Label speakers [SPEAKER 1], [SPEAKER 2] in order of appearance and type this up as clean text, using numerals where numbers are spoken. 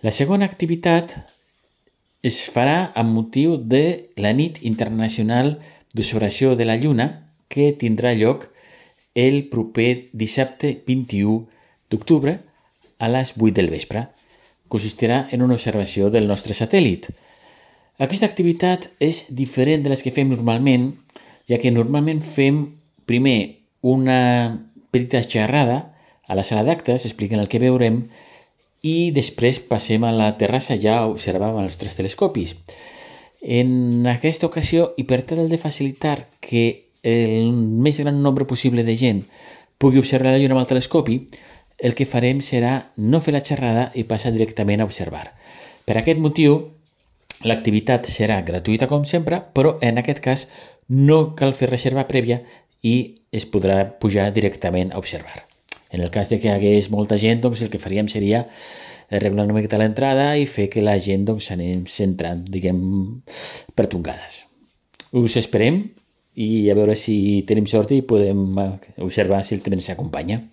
[SPEAKER 1] La segona activitat es farà amb motiu de la Nit Internacional d'Observació de la Lluna, que tindrà lloc el proper dissabte 21 d'octubre a les 8 del vespre. Consistirà en una observació del nostre satèl·lit. Aquesta activitat és diferent de les que fem normalment, ja que normalment fem primer una petita xerrada a la sala d'actes explicant el que veurem i després passem a la terrassa ja a observar amb els nostres telescopis. En aquesta ocasió, i per tal de facilitar que el més gran nombre possible de gent pugui observar la lluna amb el telescopi, el que farem serà no fer la xerrada i passar directament a observar. Per aquest motiu, l'activitat serà gratuïta com sempre, però en aquest cas no cal fer reserva prèvia i es podrà pujar directament a observar. En el cas de que hi hagués molta gent, doncs el que faríem seria arreglar una miqueta l'entrada i fer que la gent anem centrant, per tongades. Us esperem i a veure si tenim sort i podem observar si el temps s'acompanya.